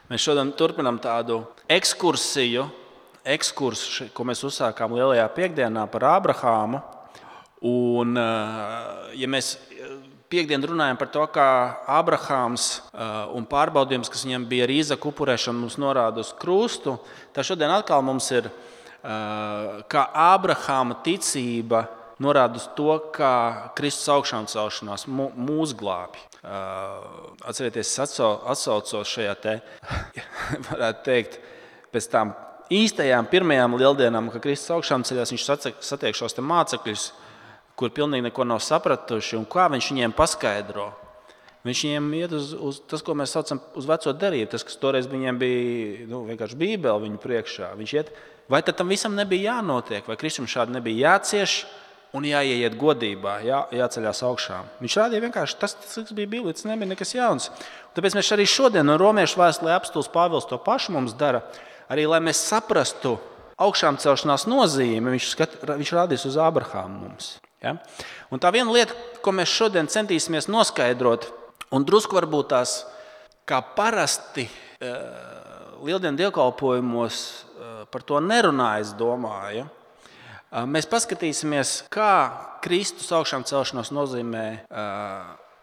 Mēs šodien turpinām tādu ekskursu, ko mēs uzsākām Lielajā piekdienā par Ābrahāmu. Un, ja mēs piekdien runājam par to, kā Ābrahāms un pārbaudījums, kas viņam bija ar Īzaku upurēšanu, mums norāda uz krustu, tad šodien atkal mums ir kā Ābrahāma ticība norāda uz to, kā Kristus augšām celšanās mūs glābj. Atcerieties, es atsaucos šajā te, varētu teikt, pēc tām īstajām pirmajām lieldienām, kad Kristus augšām ceļās, viņš satiek šos te mācekļus, kur pilnīgi neko nav sapratuši, un kā viņš viņiem paskaidro. Viņš viņiem iet uz tas, ko mēs saucam uz veco derību, tas, kas toreiz viņiem bija vienkārši Bībele viņu priekšā. Viņš iet, vai tad tam visam nebija jānotiek, vai Kristum šādi nebija jācieš, un jāieiet godībā, jāceļās augšām. Viņš rādīja vienkārši tas, kas bija Bībelē, tas nebija nekas jauns. Un tāpēc mēs arī šodien no Romiešu vēstulē apostols Pāvils to pašu mums dara, arī lai mēs saprastu augšām celšanās nozīmi, viņš rādīs uz Ābrahāmu mums. Ja? Un tā viena lieta, ko mēs šodien centīsimies noskaidrot, un drusku varbūt tās, kā parasti lieldienu dievkalpojumos par to nerunāja, es domāju, mēs paskatīsimies, kā Kristus augšām celšanos nozīmē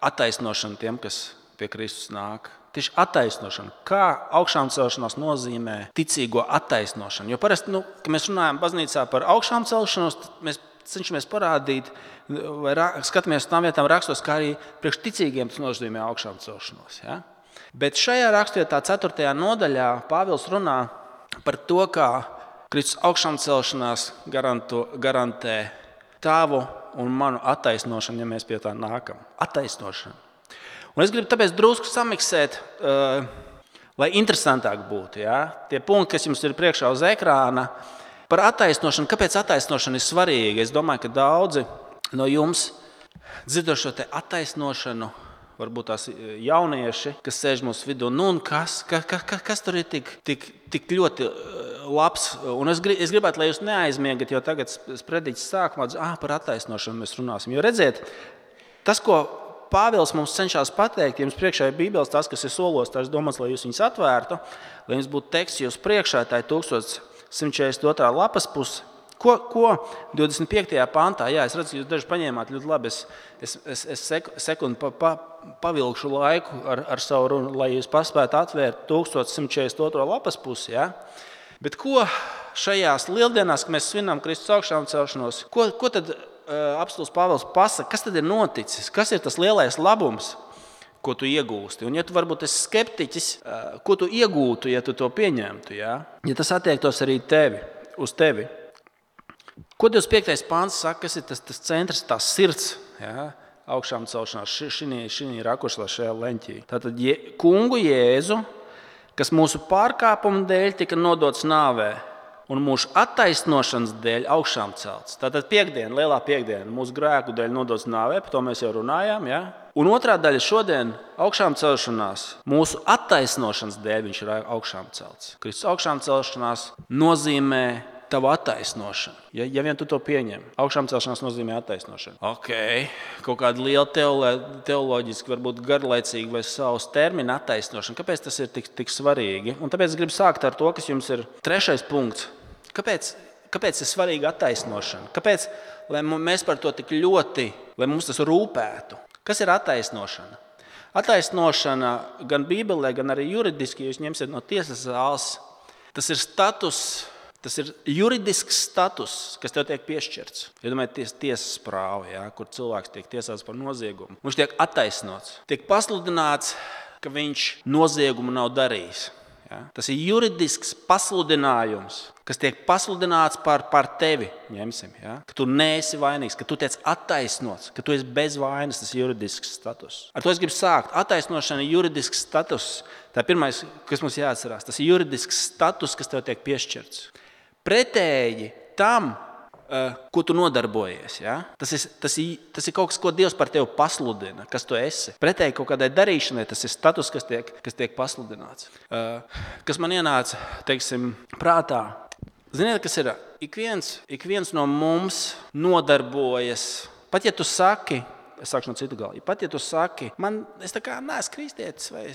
attaisnošanu tiem, kas pie Kristus nāk. Tieši attaisnošana. Kā augšām celšanās nozīmē ticīgo attaisnošanu. Jo parasti, kad mēs runājam baznīcā par augšām celšanos, mēs cenšamies parādīt, vai skatāmies uz tām vietām rakstos, kā arī priekš ticīgiem tas nozīmē augšām celšanos. Ja? Bet šajā rakstvietā 4. nodaļā Pāvils runā par to, kā Kristus augšām celšanās garantē tavu un manu attaisnošanu, ja mēs pie tā nākam. Attaisnošanu. Un es gribu tāpēc drusku samiksēt, lai interesantāk būtu. Ja? Tie punkti, kas jums ir priekšā uz ekrāna, par attaisnošanu. Kāpēc attaisnošana ir svarīga? Es domāju, ka daudzi no jums dzirdo šo te attaisnošanu, varbūt tās jaunieši, kas sēž mūsu vidū. Un kas tur ir tik ļoti labs? Un es gribētu, lai jūs neaizmiegat, jo tagad sprediķis sākumā par attaisnošanu mēs runāsim. Jo redziet, tas, ko Pāvils mums cenšas pateikt, jums priekšā ir Bībeles, tas, kas ir solos, tas domāts, lai jūs viņus atvērtu, lai jums būtu teksts jūs priekšā, tā ir 1142. lapas puse. Ko 25. pantā, es redzu, jūs daži paņēmāt ļoti labi, es sekundi pavilkšu laiku ar savu runu, lai jūs paspētu atvērt 1142. lapas pusi. Ja? Bet ko šajās lieldienās, kad mēs svinām Kristus augšām celšanos, ko tad apostols Pāvils pasaka, kas tad ir noticis, kas ir tas lielais labums, ko tu iegūsti? Un ja tu varbūt esi skeptiķis, ko tu iegūtu, ja tu to pieņemtu, ja tas attiektos arī uz tevi. Ko 25. pāns saka, kas ir tas centrs, tās sirds, augšām celšanās, šī rakursā, šajā leņķī. Tātad kungu Jēzu, kas mūsu pārkāpumu dēļ tika nodots nāvē, un mūsu attaisnošanas dēļ augšām celts. Tātad piekdiena, lielā piekdiena, mūsu grēku dēļ nodots nāvē, par to mēs jau runājām. Ja? Un otrā daļa šodien augšām celšanās, mūsu attaisnošanas dēļ viņš ir augšām celts. Kristus augšām celšanās nozīmē tavu attaisnošanu. Ja vien tu to pieņem, augšām celšanās nozīmē attaisnošanu. Kaut kāda liela teoloģiski, varbūt garlaicīga vai savs termina attaisnošana. Kāpēc tas ir tik svarīgi? Un tāpēc es gribu sākt ar to, kas jums ir 3. punkts. Kāpēc ir svarīga attaisnošana? Kāpēc, lai mēs par to tik ļoti, lai mums tas rūpētu? Kas ir attaisnošana? Attaisnošana gan Bībelē, gan arī juridiski, jūs ņemsiet no tiesas zāles, tas ir status, tas ir juridisks status, kas tev tiek piešķirts. Iedomājieties tiesas prāvu, kur cilvēks tiek tiesāts par noziegumu. Viņš tiek attaisnots, tiek pasludināts, ka viņš noziegumu nav darījis. Ja? Tas ir juridisks pasludinājums, kas tiek pasludināts par tevi. Ņemsim, ja? Ka tu neesi vainīgs, ka tu tiec attaisnots, ka tu esi bez vainas, tas ir juridisks status. Ar to es gribu sākt. Attaisnošana ir juridisks status. Tā ir pirmais, kas mums jāatcerās. Tas ir juridisks status, kas tev tiek piešķirts. Pretēji tam, ko tu nodarbojies. Ja? Tas ir kaut kas, ko Dievs par tevi pasludina, kas tu esi. Pretēji kaut kādai darīšanai, tas ir status, kas tiek pasludināts. Kas man ienāca, prātā. Ziniet, kas ir? Ik viens no mums nodarbojas, pat ja tu saki, Es sākšu no citu gala. Pat ja tu saki, es tā kā neesmu kristietis, vai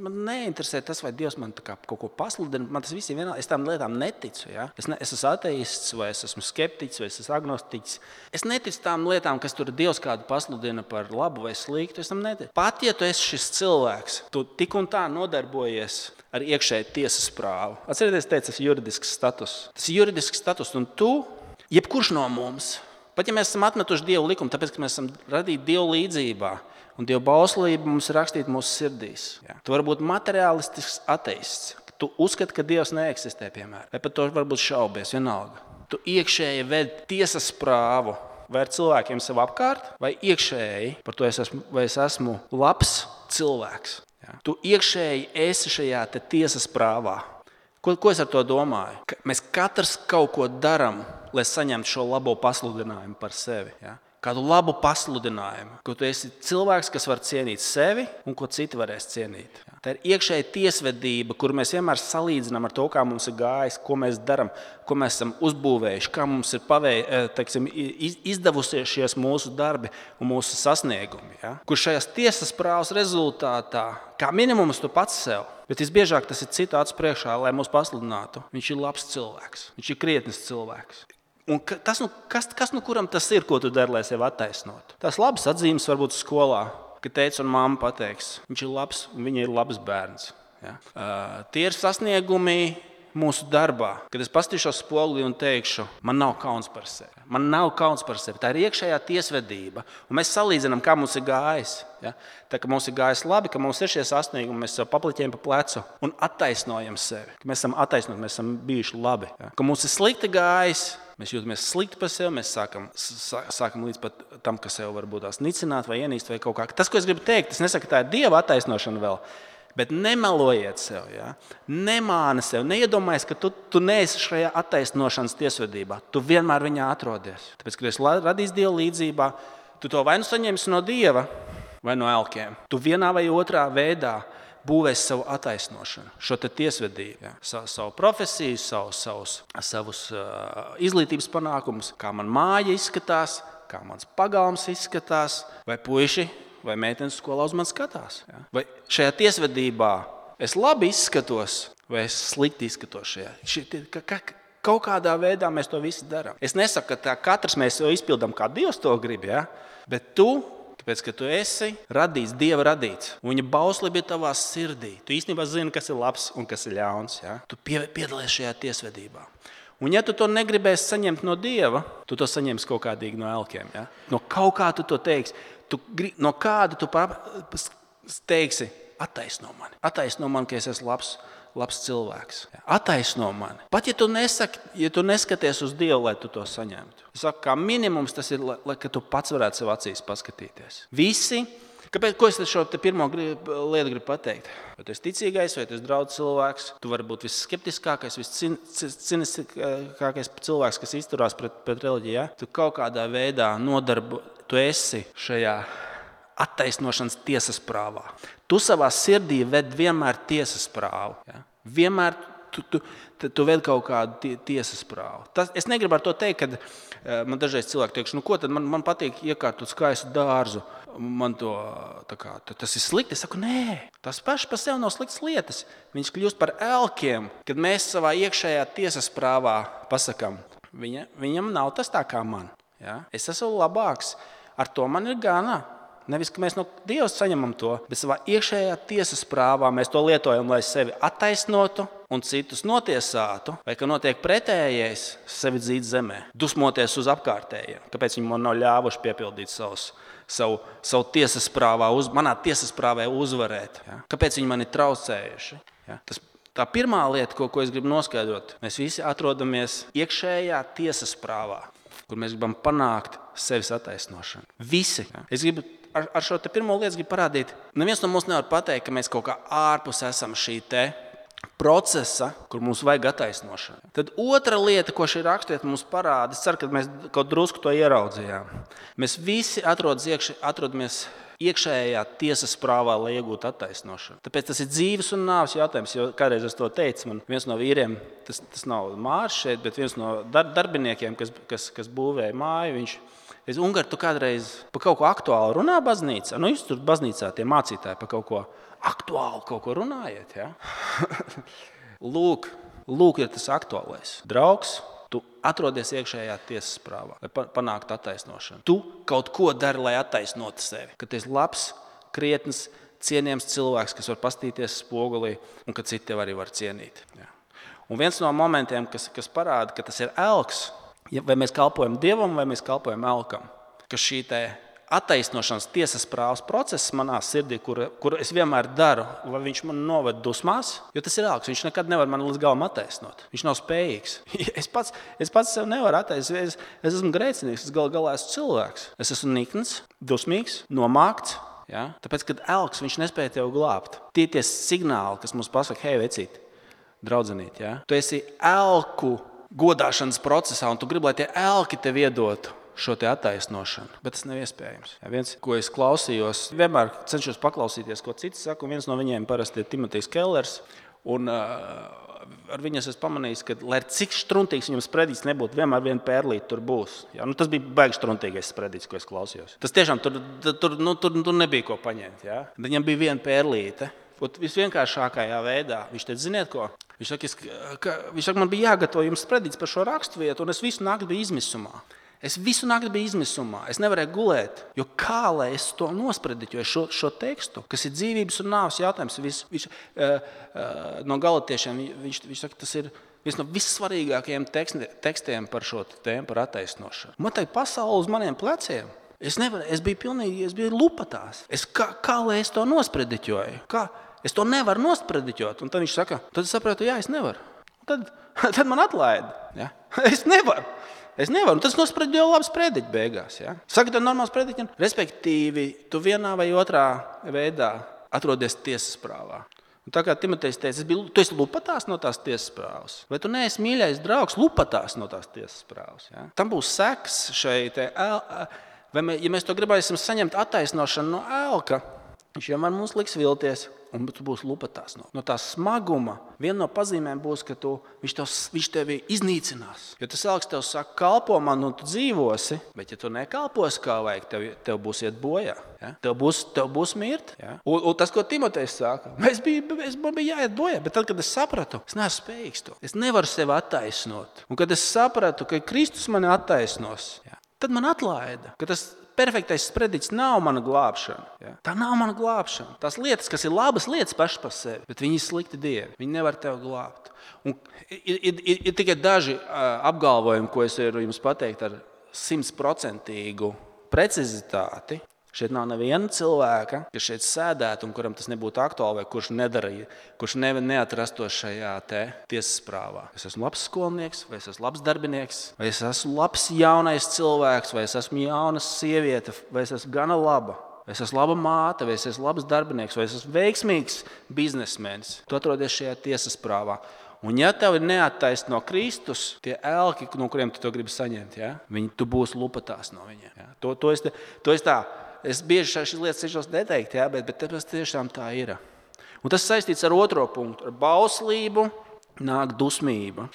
man neinteresē tas, vai Dievs man tā kā kaut ko pasludina, man tas viss ir vienā, es tām lietām neticu. Ja? Es esmu ateists, vai es esmu skeptiķis, vai es esmu agnostiķis. Es neticu tām lietām, kas tur Dievs kādu pasludina par labu vai sliktu. Es tam neticu. Pat ja tu esi šis cilvēks, tu tik un tā nodarbojies ar iekšēju tiesas prāvu. Atcerieties, tas ir juridisks status. Tas ir juridisks status, un tu, jebkurš no mums, pat ja mēs esam atmetuši Dievu likumu, tāpēc, ka mēs esam radīti Dievu līdzībā, un Dieva bauslība mums ir rakstīta mūsu sirdīs. Ja? Tu vari būt materiālistisks ateists. Tu uzskati, ka Dievs neeksistē, piemēram. Vai par to varbūt šaubies, vienalga. Tu iekšēji ved tiesas prāvu vai ar cilvēkiem sev apkārt, vai iekšēji par to vai es esmu labs cilvēks. Ja? Tu iekšēji esi šajā tiesas prāvā. Ko es ar to domāju? Mēs katrs kaut ko darām, lai saņemtu šo labo pasludinājumu par sevi. Ja? Kādu labu pasludinājumu, ka tu esi cilvēks, kas var cienīt sevi un ko citi varēs cienīt. Ja? Tā ir iekšēja tiesvedība, kur mēs vienmēr salīdzinām ar to, kā mums ir gājis, ko mēs darām, ko mēs esam uzbūvējuši, kā mums ir izdevusies mūsu darbi un mūsu sasniegumi. Ja? Kur šajās tiesas prāvas rezultātā, kā minimums tu pats sev, bet visbiežāk tas ir citu acu priekšā, lai mūs pasludinātu. Viņš ir labs cilvēks, viņš ir krietnis cilvēks. Un kas kuram tas ir, ko tu dari, lai sevi attaisnotu? Tās labas atzīmes varbūt skolā, ka tēvs un mamma pateiks, viņš ir labs un viņa ir labs bērns. Ja? Tie ir sasniegumi mūsu darbā, kad es paskatīšos spogulī un teikšu, man nav kauns par sevi. Man nav kauns par sevi. Tā ir iekšējā tiesvedība. Un mēs salīdzinām, kā mums ir gājis. Ja? Tā kā mums ir gājis labi, ka mums ir šie sasniegumi, mēs sev papliķējam pa plecu un attaisnojam sevi. Ka mēs esam attaisnoti, mēs esam bijuši labi. Ja? Ka mums ir slikti gājis, mēs jūtamies slikti par sevi, mēs sākam līdz pat tam, ka sev varbūt tās nicināt vai ienīst vai kaut kā. Tas, ko es gribu teikt, es nesaku, ka tā ir Dieva attaisnošana vēl. Bet nemelojiet sev, ja? Nemāni sev, neiedomājies, ka tu neesi šajā attaisnošanas tiesvedībā. Tu vienmēr viņā atrodies. Tāpēc, kad esi radījis Dieva līdzībā, tu to vai nu saņemsi no Dieva, vai no elkiem. Tu vienā vai otrā veidā būvēsi savu attaisnošanu, šo tiesvedību. Ja? Savu profesiju, savus izglītības panākumus, kā man māja izskatās, kā mans pagalms izskatās, vai puiši vai meitenes skolā uz mani skatās. Ja? Vai šajā tiesvedībā es labi izskatos, vai es slikti izskatos šajā. Kaut kādā veidā mēs to visi darām. Es nesaku, ka katrs mēs to izpildām, kā Dievs to grib, ja? Bet tu, tāpēc, ka tu esi radīts, Dieva radīts, un viņa bauslība ir tavā sirdī. Tu īstenībā zini, kas ir labs un kas ir ļauns. Ja? Tu piedalies šajā tiesvedībā. Un ja tu to negribēsi saņemt no Dieva, tu to saņemsi kaut kādīgi no elkiem. Ja? No kaut kā tu to teiksi. No kāda tu teiksi, attaisno mani, ka es esmu labs cilvēks. Attaisno mani. Pat ja tu neskaties uz Dievu, lai tu to saņemtu. Es saku, kā minimums tas ir, lai tu pats varētu sev acīs paskatīties. Visi, ko es šo pirmo lietu gribu pateikt? Vai tu esi ticīgais, vai tu esi draudz cilvēks, tu vari būt visskeptiskākais, visciniskākais cilvēks, kas izturās pret reliģiju. Ja? Tu kaut kādā veidā tu esi šajā attaisnošanas tiesas prāvā. Tu savā sirdī ved vienmēr tiesas prāvu. Ja? Vienmēr tu ved kaut kādu tiesas prāvu. Es negribu ar to teikt, ka man dažreiz cilvēki teikšu, ko tad man patīk iekārtot skaistu dārzu. Tas ir slikti. Es saku, nē, tas paši par sevi nav sliktas lietas. Viņš kļūst par elkiem, kad mēs savā iekšējā tiesas prāvā pasakām, viņam nav tas tā kā man. Ja? Es esmu labāks. Ar to man ir gana. Nevis, ka mēs no Dieva saņemam to, bet savā iekšējā tiesas prāvā mēs to lietojam, lai sevi attaisnotu un citus notiesātu, vai ka notiek pretējais sevi dzīt zemē, dusmoties uz apkārtējiem. Kāpēc viņi man nav ļāvuši piepildīt savu tiesas prāvā, manā tiesas prāvē uzvarēt? Ja? Kāpēc viņi mani traucējuši? Ja? Tā pirmā lieta, ko es gribu noskaidrot, mēs visi atrodamies iekšējā tiesas prāvā, kur mēs gribam panākt sevis attaisnošanu. Visi. Ja? Es gribu ar šo pirmo lietu parādīt, neviens no mums nevar pateikt, ka mēs kaut kā ārpus esam šī procesa, kur mums vajag attaisnošanu. Tad otra lieta, ko šī raksturieta mums parāda, es ceru, ka mēs kaut drusku to ieraudzījām. Mēs visi atrodamies iekšējā tiesas prāvā, lai iegūtu attaisnošanu. Tāpēc tas ir dzīves un nāves jautājums, jo kādreiz es to teicu, man viens no vīriem, tas nav Mārs šeit, bet viens no darbiniekiem, kas būvēja māju, Ungari, tu kādreiz par kaut ko aktuālu runā baznīcā? Nu, jūs tur baznīcā tie mācītāji par kaut ko aktuālu kaut ko runājiet, ja? Lūk, ir tas aktuālais. Draugs, tu atrodies iekšējā tiesas prāvā, lai panāktu attaisnošanu. Tu kaut ko dari, lai attaisnotu sevi. Kad tu esi labs, krietns, cienījams cilvēks, kas var pastīties spogulī un ka citi tev arī var cienīt. Ja? Un viens no momentiem, kas parāda, ka tas ir elks, vai mēs kalpojam Dievam, vai mēs kalpojam elkam, ka šī attaisnošanas tiesas prāvas process manā sirdī, kuru es vienmēr daru, vai viņš man noved dusmās, jo tas ir elks, viņš nekad nevar mani līdz galam attaisnot. Viņš nav spējīgs. Es pats sev nevaru attaisnot. Es esmu grēcinieks, es galā esmu cilvēks. Es esmu nikns, dusmīgs, nomākts. Ja? Tāpēc, kad elks, viņš nespēja tev glābt. Tie signāli, kas mums pasaka, hei, vecīt, draudzenīt, ja? Tu esi elku godāšanas procesā, un tu gribi, lai tie elki tev iedotu šo te attaisnošanu, bet tas nav iespējams. Ja, viens, ko es klausījos, vienmēr cenšos paklausīties, ko cits saka, un viens no viņiem parasti ir Timotejs Kellers, un ar viņu es pamanīju, ka, lai cik štruntīgs viņam spredīts nebūtu, vienmēr viena pērlīte tur būs. Ja, tas bija baigi štruntīgais spredīts, ko es klausījos. Tas tiešām tur nebija ko paņemt. Ja. Viņam bija viena pērlīte. Visvienkāršākajā veidā. Viņš teica, ziniet ko? Viņš saka, man bija jāgatavo jums spredīts par šo raksturvietu, un es visu nakti biju izmisumā. Es nevarēju gulēt, jo kā lai es to nosprediķoju, šo tekstu, kas ir dzīvības un nāves jautājums. No galatiešiem viņš saka, tas ir viens no vissvarīgākajiem tekstiem par šo tēmu, par attaisnošanu. Man tai pasaule uz maniem pleciem. Es biju lupatās. Kā lai es to nosprediķoju? Es to nevaru nosprediķot. Un tad viņš saka, tad es sapratu, jā, es nevaru. Tad man atlaida. Ja? Es nevaru. Un tas nosprediķo labi sprediķi beigās. Ja? Saka, tā normāls sprediķi. Respektīvi, tu vienā vai otrā veidā atrodies tiesas prāvā. Un tā kā Timotejs teica, tu esi lupatās no tās tiesas prāvas. Vai tu neesi mīļais draugs lupatās no tās tiesas prāvas? Ja? Tam būs seks šeit. Ja mēs to gribēsim saņemt attaisnošanu no elka, viņš vienmēr mums liks vilties, un tu būsi lupatās no tā smaguma. Viena no pazīmēm būs, ka viņš tevi iznīcinās. Jo tas elks tev saka, kalpo man, un tu dzīvosi, bet ja tu nekalposi kā vajag, tev būs iet bojā. Ja? Tev būs mirt. Ja? Un tas, ko Timotejs saka, man bija jāiet bojā, bet tad, kad es sapratu, es neesmu spējīgs to. Es nevaru sevi attaisnot. Un kad es sapratu, ka Kristus mani attaisnos, ja? Tad man atlaida, ka tas perfektais sprediķis nav mana glābšana. Ja? Tā nav mana glābšana. Tās lietas, kas ir labas lietas pašas par sevi, bet viņi ir slikti dievi. Viņi nevar tevi glābt. Un ir tikai daži apgalvojumi, ko es varu jums pateikt ar 100% precizitāti. Šeit nav neviena cilvēka, kas šeit sēdētu un kuram tas nebūtu aktuāli, vai kurš neatrastos šajā tiesas prāvā. Es esmu labs skolnieks, vai es esmu labs darbinieks, vai es esmu labs jaunais cilvēks, vai es esmu jauna sieviete, vai es esmu gana laba, vai es esmu laba māte, vai es esmu labs darbinieks, vai es esmu veiksmīgs biznesmenis. Tu atrodies šajā tiesas prāvā. Un ja tev ir neattaisno Kristus, tie elki, no kuriem tu to gribi saņemt, ja? Tu būsi lupatās no viņiem. Ja? To es tā. Es bieži šīs lietas cenšos neteikt, ja, bet tas tiešām tā ir. Un tas saistīts ar otro punktu. Ar bauslību nāk dusmība.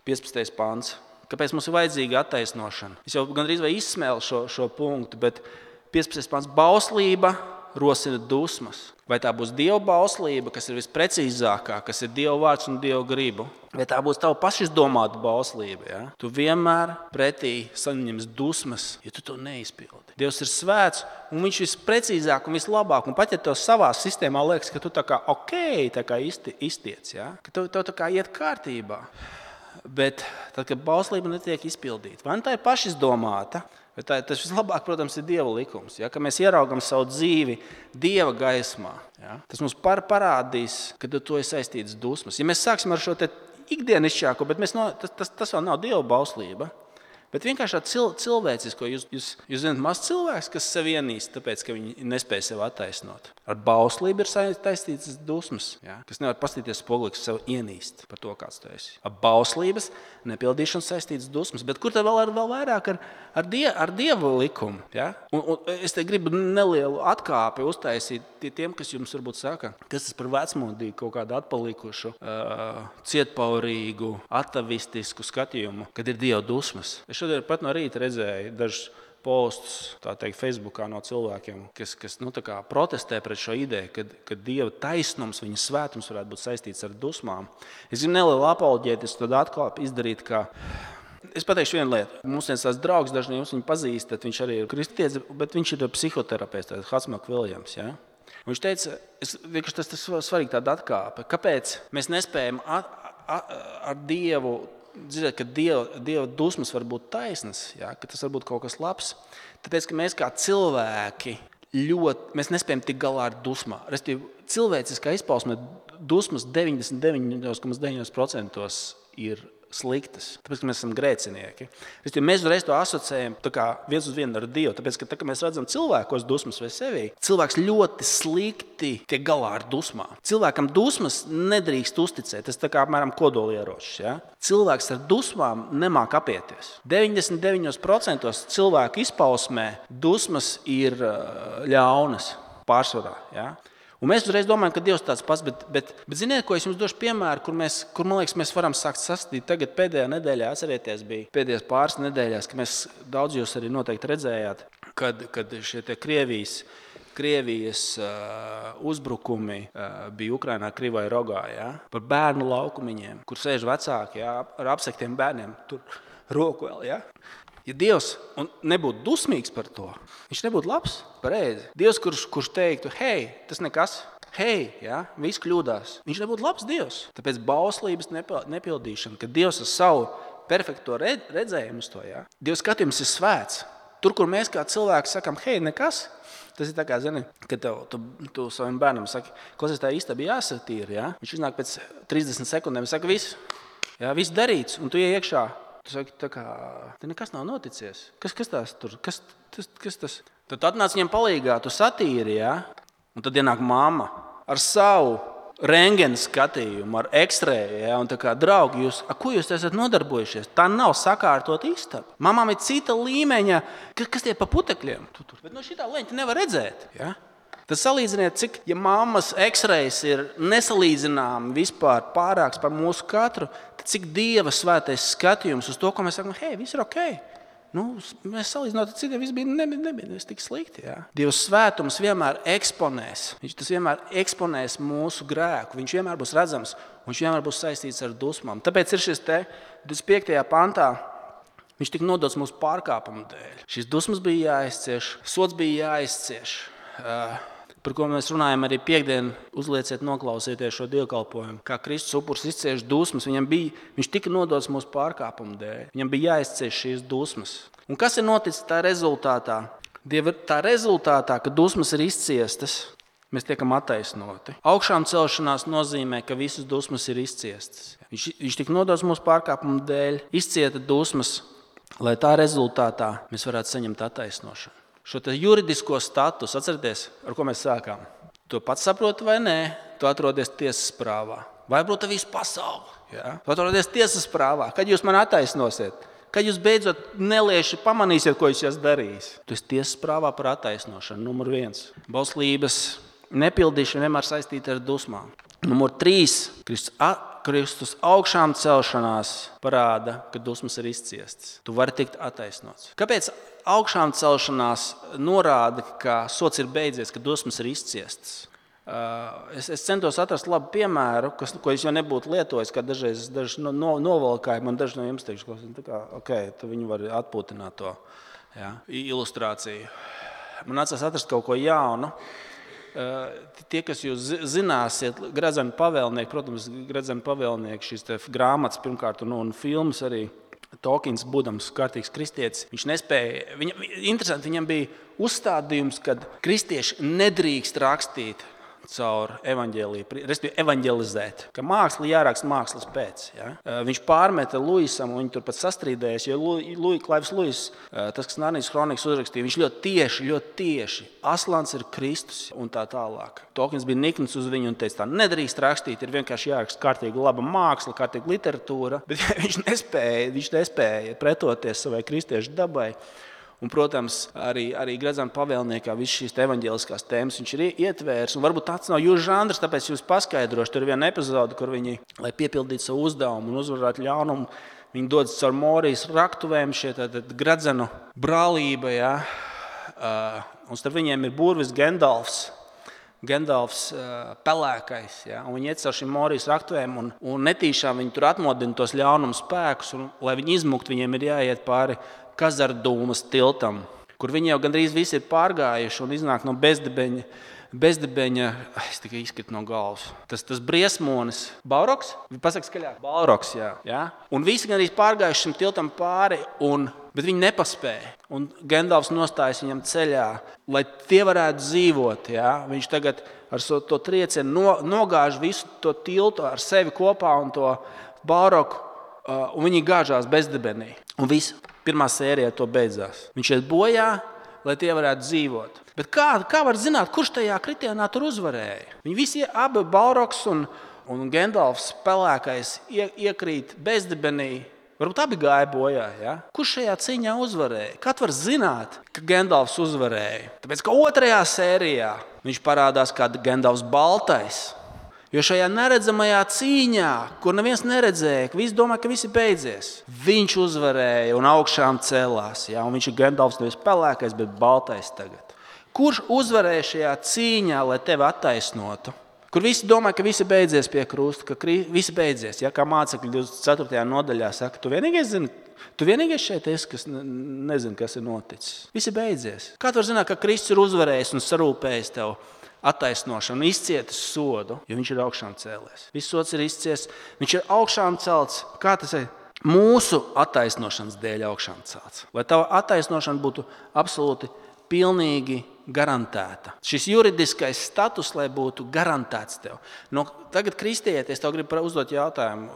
15. pants. Kāpēc mums ir vajadzīga attaisnošana? Es jau gandrīz vai izsmēlu šo punktu, bet 15. pants. Bauslība rosina dusmas. Vai tā būs Dieva bauslība, kas ir visprecīzākā, kas ir Dieva vārds un Dieva gribu? Vai tā būs tava pašizdomāta bauslība? Ja? Tu vienmēr pretī saņems dusmas, ja tu to neizpildi. Dievs ir svēts, un viņš visprecīzāk un vislabāk. Un pat ja tev savā sistēmā liekas, ka tu tā kā iztiec, ja? Ka tev tā kā iet kārtībā. Bet tad, kad bauslība netiek izpildīta, vai tā ir pašizdomāta, bet tas vislabāk, protams, ir Dieva likums. Ja? Ka mēs ieraugam savu dzīvi Dieva gaismā. Ja? Tas mums parādīs, ka to ir saistīts dusmas. Ja mēs sāksim ar šo te ikdienišķāko, bet tas vēl nav Dieva bauslība. Bet vienkārši cilvēcisko, jūs zināt, maz cilvēks, kas sevi ienīst, tāpēc, ka viņi nespēja sevi attaisnot. Ar bauslību ir saistītas dusmas, ja? Kas nevar pastīties spogulī, kas sevi ienīst par to, kāds tu esi. Ar bauslības nepildīšanu saistītas dusmas, bet kur tad vēl vairāk ar Dieva likumu? Ja? Un es te gribu nelielu atkāpi uztaisīt tiem, kas jums varbūt saka, kas tas par vecmodīgu, kaut kādu atpalikušu, cietpaurīgu, atavistisku skatījumu, kad ir Dieva dusmas. Es šodien pat no rīta redzēju dažus postus, tā teikt, Facebookā no cilvēkiem, kas tā kā protestē pret šo ideju, ka Dieva taisnums, viņa svētums varētu būt saistīts ar dusmām. Es gribu nelielu apoloģētisku tad atkal izdarīt, ka es pateikšu vienu lietu. Mums viens tās draugs, daži no jums viņu pazīstat, viņš arī ir kristietis, bet viņš ir psihoterapeits, Hatsmak Viljams. Ja? Viņš teica, vienkārši tas svarīgi tāda atkāpe. Kāpēc mēs nespējam ar Dievu dzirdēt, ka Dieva dusmas var būt taisnas, ja? Ka tas var būt kaut kas labs? Tāpēc, ka mēs kā cilvēki mēs nespējam tikt galā ar dusmām. Cilvēciskā izpausme dusmas 99,9% ir sliktas, tāpēc, ka mēs esam grēcinieki. Mēs uzreiz to asociējam viens uz vienu ar Dievu, tāpēc, ka kad mēs redzam cilvēkos dusmas vai sevī, cilvēks ļoti slikti tiek galā ar dusmām. Cilvēkam dusmas nedrīkst uzticēt, tas apmēram kodolieročs. Ja? Cilvēks ar dusmām nemāk apieties. 99% cilvēku izpausmē dusmas ir ļaunas pārsvarā. Ja? Un mēs uzreiz domājam, ka Dievs tāds pats, bet ziniet, ko es jums došu piemēru, kur man liekas, mēs varam sākt sastīt. Tagad pēdējā nedēļā, atcerieties, bija pēdējās pāris nedēļās, ka mēs daudz jūs arī noteikti redzējāt, kad šie te Krievijas uzbrukumi bija Ukrainā, Krivai rogā, ja? Par bērnu laukumiņiem, kur sēž vecāki, ja? Ar apsektiem bērniem, tur roku vēl, ja? Ja Dievs nebūtu dusmīgs par to, viņš nebūtu labs, pareizi. Dievs, kurš teiktu, hei, tas nekas, hei, ja, viss kļūdās, viņš nebūtu labs Dievs. Tāpēc bauslības nepildīšana, kad Dievs ar savu perfekto redzējumu uz to, ja. Dieva skatījums ir svēts. Tur, kur mēs kā cilvēki sakam, hei, nekas, tas ir tā kā, zini, kad tu saviem bērnam saki, klausies, tā istaba jāsatīra, ja. Viņš iznāk pēc 30 sekundēm, saka, viss darīts, un tu iekšā. Tu saki, te nekas nav noticies. Kas tās tur? Kas tas? Tad atnāc viņam palīgā, tu satīri, ja? Un tad ienāk mamma ar savu rentgena skatījumu, ar X-ray, ja? Un tā kā, draugi, ko jūs esat nodarbojušies? Tā nav sakārtot istaba. Mamām ir cita līmeņa, kas tie pa putekļiem? Bet no šitā leņķa nevar redzēt, ja? Tad salīdziniet, cik, ja mammas X-rays ir nesalīdzināmi vispār pārāks par mūsu katru, tad cik Dieva svētais skatījums uz to, ko mēs sakām, hei, viss ir ok. Mēs salīdzinot ar citiem, viss nebija tik slikti. Ja? Dieva svētums vienmēr eksponēs. Tas vienmēr eksponēs mūsu grēku. Viņš vienmēr būs redzams, un viņš vienmēr būs saistīts ar dusmām. Tāpēc ir šis 25. pantā, viņš tika nodots mūsu pārkāpumu dēļ. Šis dusmas bija jāizcieš, sods bija jāizcieš. Par ko mēs runājam arī piektdien, uzlieciet, noklausieties šo dievkalpojumu. Kā Kristus upuris izcieš dusmas, viņš tika nodots mūsu pārkāpumu dēļ. Viņam bija jāizcieš šīs dusmas. Un kas ir noticis tā rezultātā? Tā rezultātā, ka dusmas ir izciestas, mēs tiekam attaisnoti. Augšām celšanās nozīmē, ka visas dusmas ir izciestas. Viņš tika nodots mūsu pārkāpumu dēļ, izcieta dusmas, lai tā rezultātā mēs varētu saņemt attaisnošanu. Šo juridisko statusu, atcerieties, ar ko mēs sākām. Tu pats saproti vai nē, tu atrodies tiesas prāvā. Vai būtu visu pasauli? Ja? Tu atrodies tiesas prāvā. Kad jūs man attaisnosiet? Kad jūs beidzot nelieši pamanīsiet, ko jūs esat darījis? Tu esi tiesas prāvā par attaisnošanu, numur 1. Bauslības nepildīšana vienmēr saistīta ar dusmām. Numur 3. Kristus augšām celšanās parāda, ka dusmas ir izciestas. Tu vari tikt attaisnots. Kāpēc augšām celšanās norāda, ka sots ir beidzies, ka dusmas ir izciestas? Es centos atrast labu piemēru, ko es jau nebūtu lietojis, kā daži novalkāju. Man daži no jums teikšu, tu viņi var atpūtināt to ilustrāciju. Man nācās atrast kaut ko jaunu. Tie, kas jūs zināsiet, Gradzena pavēlnieki, protams, Gradzena pavēlnieki, šīs grāmatas pirmkārt un filmas arī, Tolkiens, būdams kārtīgs kristietis, viņš nespēja, interesanti, viņam bija uzstādījums, ka kristieši nedrīkst rakstīt caur evaņģēliju, respektīvi evaņģelizēt, ka māksla jāraksta mākslas pēc. Ja? Viņš pārmeta Luisam, un viņi tur pat sastrīdējās, jo Klaivs Luis, tas, kas Narnijas kronikas uzrakstīja, viņš ļoti tieši, Aslans ir Kristus un tā tālāk. Tolkiens bija nikns uz viņu un teica, tā nedrīkst rakstīt, ir vienkārši jāraksta kārtīgi laba māksla, kārtīgi literatūra, bet viņš nespēja pretoties savai kristiešu dabai. Un, protams, arī Gradzena pavēlniekā visas šīs evaņģēliskās tēmas viņš ir ietvērs. Un varbūt tāds nav jūsu žanrs, tāpēc jūs paskaidrošu. Tur ir viena epizode, kur viņi, lai piepildītu savu uzdevumu un uzvarētu ļaunumu, Viņi dodas caur Morijas raktuvēm, šie gradzenu brālība, ja? Un starp viņiem ir burvis Gendalfs pelēkais. Ja? Un viņi iet caur šīm Morijas raktuvēm un netīšām viņi tur atmodina tos ļaunuma spēkus. Un, lai viņi izmukt, viņiem ir jāiet pāri Kazardūmas tiltam, kur viņi jau gandrīz visi ir pārgājuši un iznāk no bezdebeņa, es tikai izkritu no galvas. Tas briesmonis, Balrogs? Pasaka skaļāk. Balrogs, jā. Ja? Un visi gandrīz pārgājuši šim tiltam pāri, bet viņi nepaspēja. Un Gendalfs nostājas viņam ceļā, lai tie varētu dzīvot. Ja? Viņš tagad ar to triecienu nogāž visu to tiltu ar sevi kopā un to Balrogu, un viņi gāžās bezdebenī. Un viss, pirmā sērija to beidzās. Viņš iet bojā, lai tie varētu dzīvot. Bet kā var zināt, kurš tajā kritienā tur uzvarēja? Viņi visi abi, Balrogs un Gendalfs pelēkais, iekrīt bezdebenī. Varbūt abi gāja bojā. Ja? Kurš šajā cīņā uzvarēja? Kā var zināt, ka Gendalfs uzvarēja? Tāpēc, ka otrajā sērijā viņš parādās kā Gendalfs baltais. Jo šajā neredzamajā cīņā, kur neviens neredzēja, ka visi domā, ka visi beidzies, viņš uzvarēja un augšām celās. Ja? Un viņš ir Gendalfs nevis pelēkais, bet baltais tagad. Kurš uzvarēja šajā cīņā, lai tevi attaisnotu? Kur visi domā, ka visi beidzies pie krusta, ka visi beidzies. Ja? Kā mācekļi 24. nodaļā saka, tu vienīgais šeit esi, kas nezina, kas ir noticis. Visi beidzies. Kā tu var zināt, ka Kristus ir uzvarējis un sarūpējis tev attaisnošanu, izcietis sodu, jo viņš ir augšām cēlies. Viss sods ir izcies, viņš ir augšām celts. Kā tas ir? Mūsu attaisnošanas dēļ augšām celts. Lai tava attaisnošana būtu absolūti pilnīgi garantēta. Šis juridiskais status, lai būtu garantēts tev. Tagad kristieties, tev gribu uzdot jautājumu,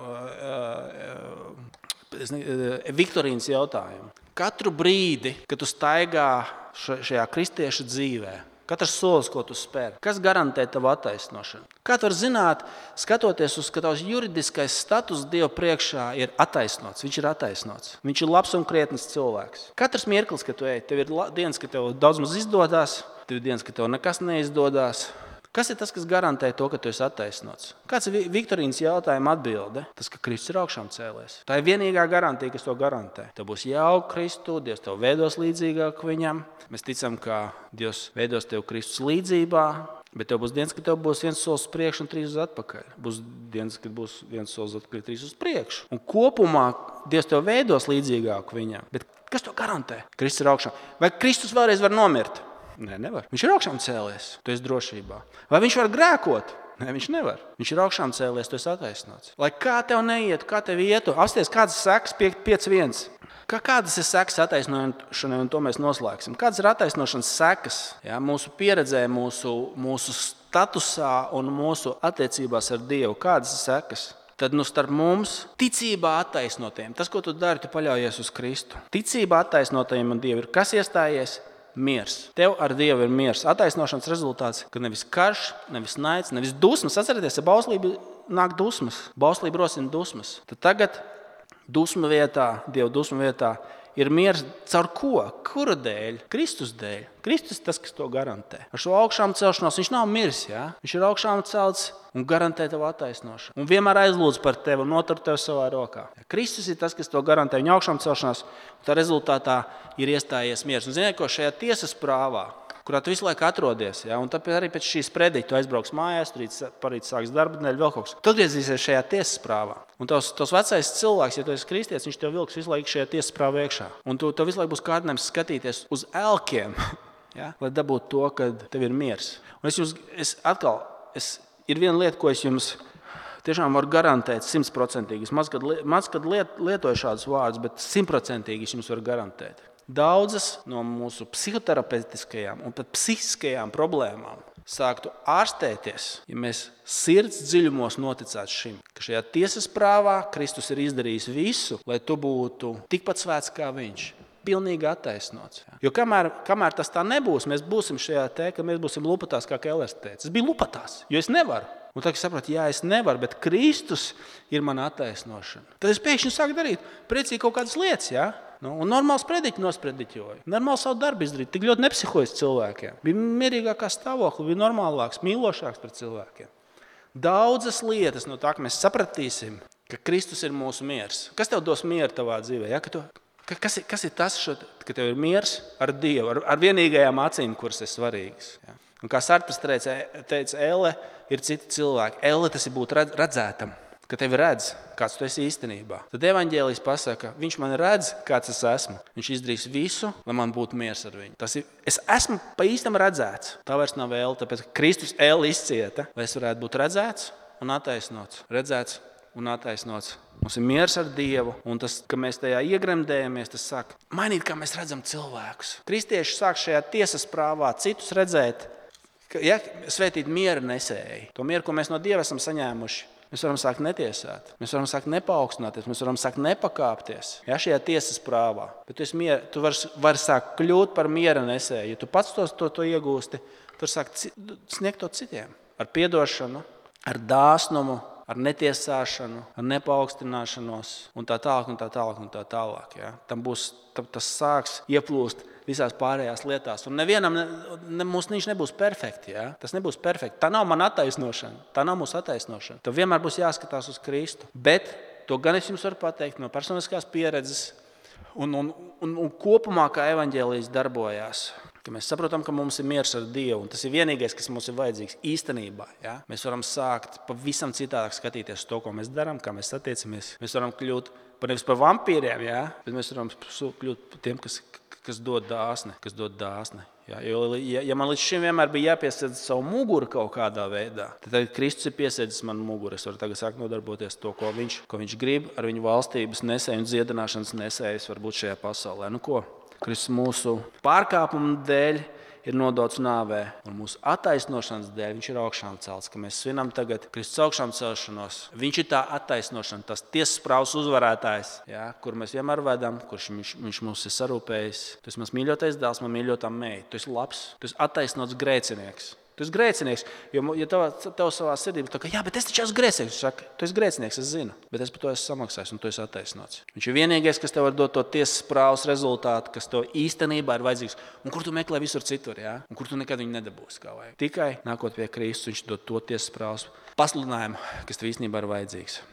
Viktorīnas jautājumu. Katru brīdi, kad tu staigā šajā kristieša dzīvē, katrs solis, ko tu spēr, kas garantē tavu attaisnošanu? Kā tu vari zināt, skatoties uz, ka tavs juridiskais status Dieva priekšā ir attaisnots? Viņš ir attaisnots. Viņš ir labs un krietns cilvēks. Katrs mirklis, kad tu ej, tev ir dienas, ka tev daudz maz izdodas, tev ir dienas, ka tev nekas neizdodas. Kas ir tas, kas garantē to, ka tu esi attaisnots? Kāds ir Viktorīnas jautājuma atbilde? Tas, ka Kristus ir augšām cēlies. Tā ir vienīgā garantija, kas to garantē. Tev būs jauka Kristu, Dievs tev veidos līdzīgāk viņam. Mēs ticam, ka Dievs veidos tev Kristus līdzībā, bet tev būs dienas, ka tev būs viens solis uz priekšu un 3 uz atpakaļ. Būs dienas, kad būs viens solis uz atpakaļ, 3 uz priekšu. Un kopumā Dievs tev veidos līdzīgāk viņam. Bet kas to garantē? Kristus ir augšām. Vai Kristus vēlreiz var nomirt? Nē, nevar. Viņš ir augšām cēlies, tu esi drošībā. Vai viņš var grēkot? Nē, viņš nevar. Viņš ir augšām cēlies, tu esi attaisnots. Lai kā tev neietu, kā tev ietu, apsties, kādas sekas 5.1. Kādas ir sekas attaisnošanai, un to mēs noslēgsim. Kādas ir attaisnošanas sekas? Ja, mūsu pieredzē, mūsu statusā un mūsu attiecībās ar Dievu. Kādas ir sekas? Tad starp mums ticībā attaisnotiem. Tas, ko tu dari, tu paļaujies uz Kristu. Ticībā attaisnotajiem un Dievu ir kas iestājies? Miers. Tev ar Dievu ir miers. Attaisnošanas rezultāts, ka nevis karš, nevis naids, nevis dusmas. Atcerieties, ja bauslība nāk dusmas, bauslība rosina dusmas. Tad tagad dusmu vietā, Dieva dusmu vietā ir miers caur ko? Kura dēļ? Kristus dēļ. Kristus ir tas, kas to garantē. Ar šo augšām celšanos viņš nav miris. Ja? Viņš ir augšām celts un garantē tev attaisnošanu. Un vienmēr aizlūdz par tevi un notur tevi savā rokā. Kristus ir tas, kas to garantē. Viņa augšām celšanās, un tā rezultātā ir iestājies miers. Un ziniet, ko šajā tiesas prāvā, kurā tu visu laiku atrodies, ja? Un tāpēc arī pēc šīs prediķa tu aizbrauks mājās, parīt sāks darba nedēļu, vēl kaut kas. Tu atgriezīsies šajā tiesas prāvā. Un tos vecais cilvēks, ja tu esi kristietis, viņš tev vilks visu laiku šajā tiesas prāvā iekšā. Un tu visu laiku būs kārdinājums skatīties uz elkiem, ja? Lai dabūtu to, ka tev ir miers. Un ir viena lieta, ko es jums tiešām varu garantēt 100%. Es maz kad lietoju šādus vārdus, bet 100% es jums varu garantēt. Daudzas no mūsu psihoterapeitiskajām un pat psihiskajām problēmām sāktu ārstēties, ja mēs sirds dziļumos noticētu šim, ka šajā tiesas prāvā Kristus ir izdarījis visu, lai tu būtu tikpat svēts kā viņš. Pilnīgi attaisnots. Jo kamēr tas tā nebūs, mēs būsim šajā ka mēs būsim lupatās kā Kellers teica. Es biju lupatās, jo es nevaru. Un tad es sapratu, jā, es nevaru, bet Kristus ir mana attaisnošana. Tad es pēkšņi sāku darīt priecīgi kaut kādas lietas, jā? Un normāls prediķi nosprediķoju. Normāli savu darbu izdarīt. Tik ļoti nepsihojas cilvēkiem. Bija mierīgākā stāvokli, bija normālāks, mīlošāks pret cilvēkiem. Daudzas lietas no tā, ka mēs sapratīsim, ka Kristus ir mūsu miers. Kas tev dos mieru tavā dzīvē? Ja? Kas ir tas, ka tev ir miers ar Dievu, ar vienīgajām acīm, kuras ir svarīgas? Ja? Un kā Sartrs teica, Elle ir citi cilvēki. Elle tas ir būt redzētam, ka tevi redz, kāds tu esi īstenībā. Tad evaņģēlijs pasaka, viņš man redz, kāds es esmu. Viņš izdarīs visu, lai man būtu miers ar viņu. Es esmu pa īstam redzēts. Tā vairs nav Elle, tāpēc Kristus Elle izcieta, lai es varētu būt redzēts un attaisnots. Redzēts un attaisnots. Mums ir miers ar Dievu, un tas, ka mēs tajā iegremdējamies, tas sāk mainīt, kā mēs redzam cilvēkus. Kristieši sāk šajā tiesas prāvā citus redzēt, svētīt miera nesēji. To mieru, ko mēs no Dieva esam saņēmuši, mēs varam sākt netiesāt, mēs varam sākt nepaukstināties, mēs varam sākt nepakāpties. Šajā tiesas prāvā. Bet tu vari sākt kļūt par miera nesēju. Ja tu pats to iegūsti, tu vari sākt sniegt to citiem. Ar piedošanu, ar dāsnumu, ar netiesāšanu, ar nepaukstināšanos un tā tālāk, un tā tālāk, un tā tālāk. Ja? Tas sāks ieplūst visās pārējās lietās. Un nevienam viņš nebūs perfekti. Ja? Tas nebūs perfekti. Tā nav mana attaisnošana. Tā nav mūsu attaisnošana. Tev vienmēr būs jāskatās uz Kristu. Bet to gan es jums varu pateikt no personiskās pieredzes un kopumā, kā evaņģēlijs darbojās. Ka mēs saprotam, ka mums ir miers ar Dievu, un tas ir vienīgais, kas mums ir vajadzīgs īstenībā. Ja? Mēs varam sākt pavisam citādāk skatīties to, ko mēs darām, kā mēs attiecamies. Mēs varam kļūt nevis par vampīriem, ja? Bet mēs varam kļūt par tiem, kas dod dāsni. Ja? Ja man līdz šim vienmēr bija jāpiesēdz savu muguru kaut kādā veidā, tad Kristus ir piesēdzis manu muguru. Es varu tagad sākt nodarboties to, ko viņš grib, ar viņu valstības nesēju un dziedināšanas nesējas varbūt šajā pasaulē. Nu ko? Kristus mūsu pārkāpumu dēļ ir nodots nāvē, un mūsu attaisnošanas dēļ viņš ir augšām celts, ka mēs svinam tagad Kristus augšām celšanos. Viņš ir tā attaisnošana, tas tiesas prāvas uzvarētājs, ja, kur mēs vienmēr vedam, kurš viņš mums ir sarūpējis. Tu esi mans mīļotais dēls, man mīļotā meita. Tu esi labs, tu esi attaisnots grēcinieks. Tu esi grēcinieks, jo tev savā sirdī ir tā, ka jā, bet es taču esmu grēcinieks. Saka, tu esi grēcinieks, es zinu, bet es par to esmu samaksājis un tu esi attaisnots. Viņš ir vienīgais, kas tev var dot to tiesas prāvas rezultātu, kas tev īstenībā ir vajadzīgs un kur tu meklē visur citur, ja? Un kur tu nekad viņu nedabūsi kā vajag. Tikai nākot pie Kristus, viņš dod to tiesas prāvas pasludinājumu, kas tev īstenībā ir vajadzīgs.